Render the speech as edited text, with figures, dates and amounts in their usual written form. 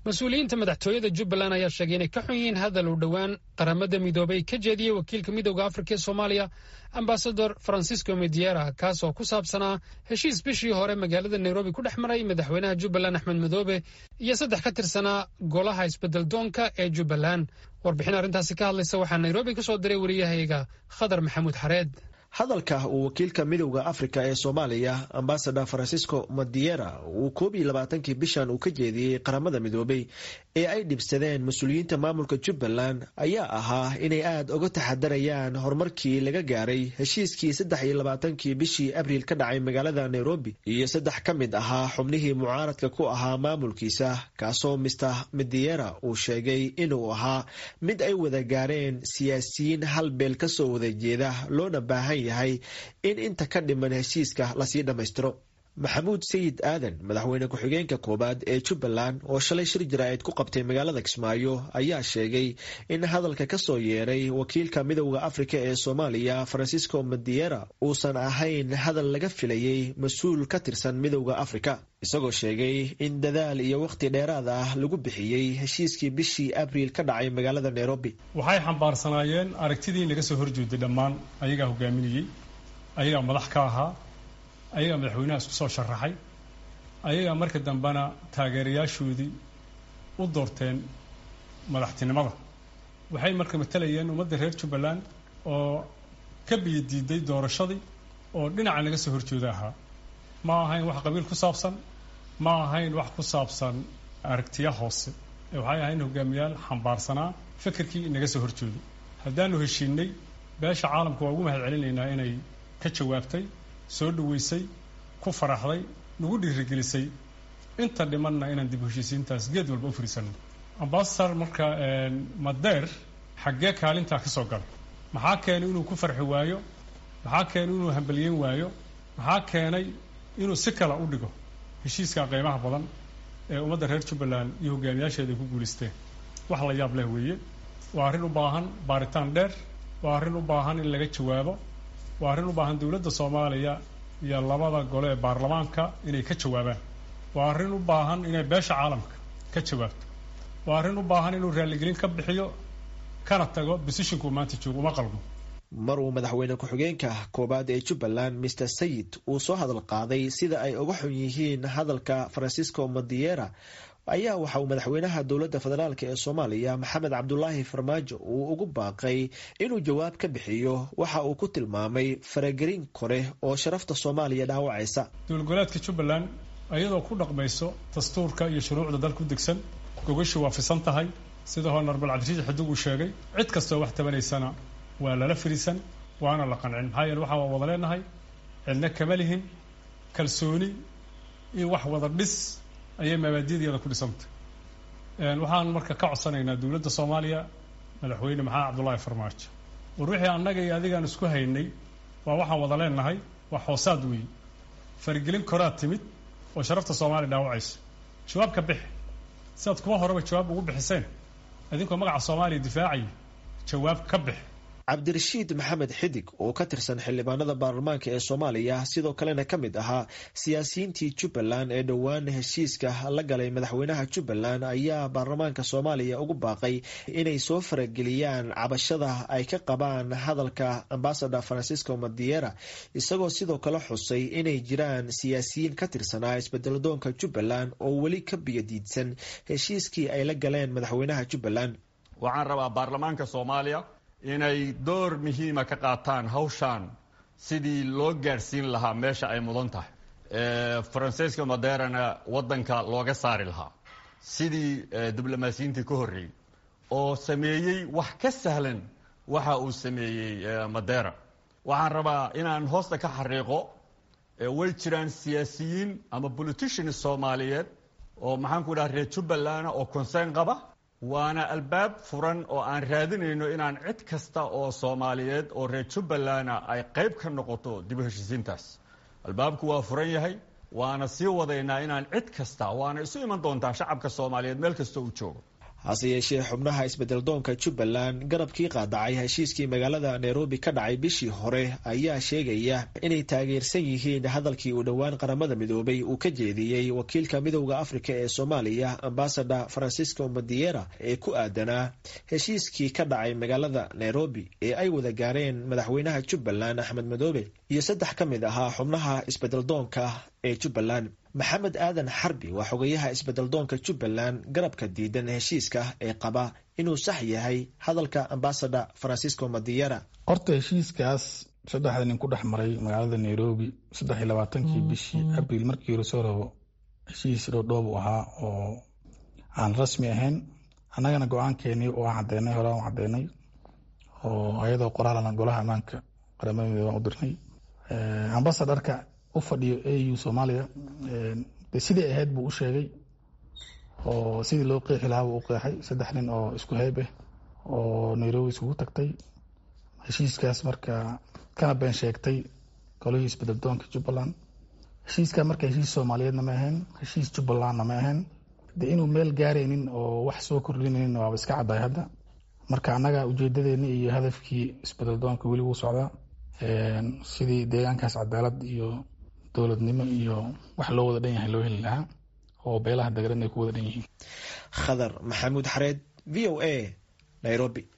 Mas-uuliyiinta madaxtooyada Jubbaland ayaa sheegay inay ka xun yihiin hadal uu dhowaan Qaramada Midoobay ka jeediyey wakiilka Midowda Afrika ee Soomaaliya, Ambasador Francisco Madeira, kaas oo ku saabsanaa heshiis bishii hore magaalada Nairobi ku dhex maray madaxweynaha Jubbaland Axmed Madoobe iyo saddex ka tirsanaa golaha isbedel doonka ee Jubbaland. Warbixin arrintaasi ka hadlaysa waxaa Nairobi ka soo diray wariyahayaga Khadar Maxamuud Xareed. Hadalka uu wakiilka Midowda Afrika ee Soomaaliya, Ambasador Francisco Madeira, uu 21-kii bishan uu ka jeediyey Qaramada Midoobay ee ay dhibsadeen mas-uuliyiinta maamulka Jubbaland ayaa ahaa inay aada uga taxadarayaan horumarkii laga gaaray heshiiskii 23-kii bishii Abriil ka dhacay magaalada Nairobi iyo saddex ka mid ahaa xubnihii mucaaradka ku ahaa maamulkiisa, kaasoo Mr Madeira uu sheegay inuu ahaa mid ay wada gaareen siyaasiyiin hal beel kasoo wada jeeda, loona baahan yahay in inta ka dhiman heshiiska lasii dhammaystiro. Maxamuud Sayid Aadan, madaxweyne ku-xigeenka koowaad ee Jubbaland, oo shalay shir jaraa'id ku qabtay magaalada Kismaayo, ayaa sheegay in hadalka kasoo yeeray wakiilka Midowda Afrika ee Soomaaliya Francisco Madeira uusan ahayn hadal laga filayey mas-uul ka tirsan Midowda Afrika, isagoo sheegay in dadaal iyo wakhti dheeraad ah lagu bixiyey heshiiskii bishii Abriil ka dhacay magaalada Nairobi. Waxay xambaarsanaayeen aragtidii naga soo horjeeday dhammaan. Ayagaa hogaaminayey, ayagaa madax ka ahaa, ayagaa madaxweynaha isku soo sharaxay, ayagaa marka dambena taageerayaashoodii u doorteen madaxtinimada. Waxay marka matalayeen ummadda reer Jubbaland oo ka biyo diiday doorashadii oo dhinaca naga soo horjeeda ahaa. Ma ahayn wax qabiil ku saabsan, ma ahayn wax ku saabsan aragtiya hoose ee waxay ahayn hogaamiyaal xambaarsanaa fikirkii naga soo horjeeday. Haddaanu heshiinay, beesha caalamka waa ugu mahad celinaynaa inay ka jawaabtay, soo dhaweysay, ku faraxday, nagu dhiirigelisay inta dhimanna inaan dib u heshiisiintaas geed walba u fariisanno. Ambasador marka Madeira xaggee kaalintaa ka soo galay? Maxaa keenay inuu ku farxi waayo? Maxaa keenay inuu hambalyeyn waayo? Maxaa keenay inuu si kale u dhigo heshiiska qiimaha badan ee ummadda reer Jubbaland iyo hogaamiyaasheeda ay ku guulaysteen? Wax la yaab leh weeye. Waa arrin u baahan baaritaan dheer, waa arrin u baahan in laga jawaabo, waa arrin u baahan dowladda Soomaaliya iyo labada gole ee baarlamaanka inay ka jawaabaan, waa arrin u baahan inay beesha caalamka ka jawaabto, waa arrin u baahan inuu raalligelin ka bixiyo kana tago position-kuu maanta joogo. Uma qalmo. Mar uu madaxweyne ku-xigeenka koowaad ee Jubbaland Mr Sayid uu soo hadal qaaday sida ay uga xun yihiin hadalka Francisco Madeira, ayaa waxa uu madaxweynaha dowladda federaalk ee Soomaaliya Maxamed Cabdulaahi Farmaajo uu ugu baaqay inuu jawaab ka bixiyo waxa uu ku tilmaamay faragelin kore oo sharafta Soomaaliya dhaawacaysa. Dowlad goboleedka Jubbaland iyadoo ku dhaqmayso dastuurka iyo shuruucda dalka u degsan, gogashu waa fisan tahay, sida Honorable Cabdirashiid Xidig uu sheegay. Cid kastoo wax tabanaysana waa lala firiisan waana la qancin, maxaa yeele waxaa waa wada leenahay, cidna kama lihin. Kalsooni iyo wax wada dhis ayay mabaadideeda ku dhisantay. Waxaan marka ka codsanaynaa dowladda Soomaaliya, madaxweyne Maxamed Cabdullaahi Farmaajo: war wixii annaga iyo adigaan isku haynay waa waxaan wada leenahay, waa hoosaad weeye. Faragelin koraad timid oo sharafta Soomaaliya dhaawacayso, jawaab ka bixi sidaad kuwa horeba jawaab ugu bixiseen idinkoo magaca Soomaaliya difaacaya. Jawaab ka bix. Cabdirashiid Maxamed Xidig oo ka tirsan xildhibaanada baarlamaanka ee Soomaaliya, sidoo kalena ka mid ahaa siyaasiyiintii Jubbaland ee dhowaan heshiiska la galay madaxweynaha Jubbaland, ayaa baarlamaanka Soomaaliya ugu baaqay inay soo farageliyaan cabashada ay ka qabaan hadalka Ambasador Francisco Madeira, isagoo sidoo kale xusay inay jiraan siyaasiyiin ka tirsanaa isbedeladoonka Jubbaland oo weli ka biyadiidsan heshiiskii ay la galeen madaxweynaha Jubbaland. Waxaan rabaa baarlamaanka Soomaaliya inay door muhiima ka qaataan hawshaan sidii loo gaadhsiin lahaa meesha ay mudan tahay, Francisco Madeirana waddanka looga saari lahaa sidii diblomaasiyiintii ka horreeyey oo sameeyey wax ka sahlan waxa uu sameeyey Madeira. Waxaan rabaa inaan hoosta ka xariiqo, way jiraan siyaasiyiin ama politicians Soomaaliyeed oo, maxaan ku dhaha, reer Jubbaland oo concern qaba, waana albaab furan oo aan raadinayno inaan cid kasta oo Soomaaliyeed oo reer Jubbalandna ay qayb ka noqoto dib u heshiisiintaas. Albaabku waa furan yahay, waana sii wadaynaa inaan cid kasta, waana isu iman doontaa shacabka Soomaaliyeed meel kasta uu joogo. Hase yeeshee xubnaha isbedeldoonka Jubbaland garabkii qaadacay heshiiskii magaalada Nairobi ka dhacay bishii hore ayaa sheegaya inay taageersan yihiin hadalkii uu dhowaan Qaramada Midoobay uu ka jeediyey wakiilka Midowda Afrika ee Soomaaliya, Ambasador Francisco Madiera, ee ku aadanaa heshiiskii ka dhacay magaalada Nairobi ee ay wada gaareen madaxweynaha Jubbaland Axmed Madoobe iyo 3 ka mid ahaa xubnaha isbedeldoonka ee Jubbaland. Maxamed Aadan Xarbi waa xogayaha isbedeldoonka Jubbaland garabka diidan heshiiska ee qaba inuu sax yahay hadalka Ambasador Francisco Madiera. Horta heshiiskaas saddexda nin ku dhex maray magaalada Nairobi 23-kii bishii Abriil, markii hore soo rabo heshiis dhoodhoob u ahaa oo aan rasmi ahayn. Annagana go-aankeenii waa cadeynay, horaan u cadeynay oo ayadoo qoraalana golaha ammaanka Qaramada Midoobe aan u dirnay. Ambasadorka u fadhiyo AU Soomaaliya de sidii ahayd buu u sheegay oo sidii loo qeexi lahaa buu u qeexay. 3 nin oo isku heyb ah oo Nairobi iskugu tagtay heshiiskaas marka kana been sheegtay golihii isbedeldoonka Jubbaland. Heshiiska marka heshiis Soomaaliyeedna ma ahayn, heshiis Jubbalandna ma ahayn. De inuu meel gaaraynin oo wax soo kordhinaynin waaba iska caddahay hadda. Marka annaga ujeedadeeni iyo hadafkii isbedeldoonka weli wuu socdaa, sidii deegaankaas cadaalad iyo dowladnimo iyo wax loo wada dhan yahay loo heli lahaa oo beelaha dagaran ay ku wada dhan yihiin. Khadar Maxamuud Xareed, VOA, Nairobi.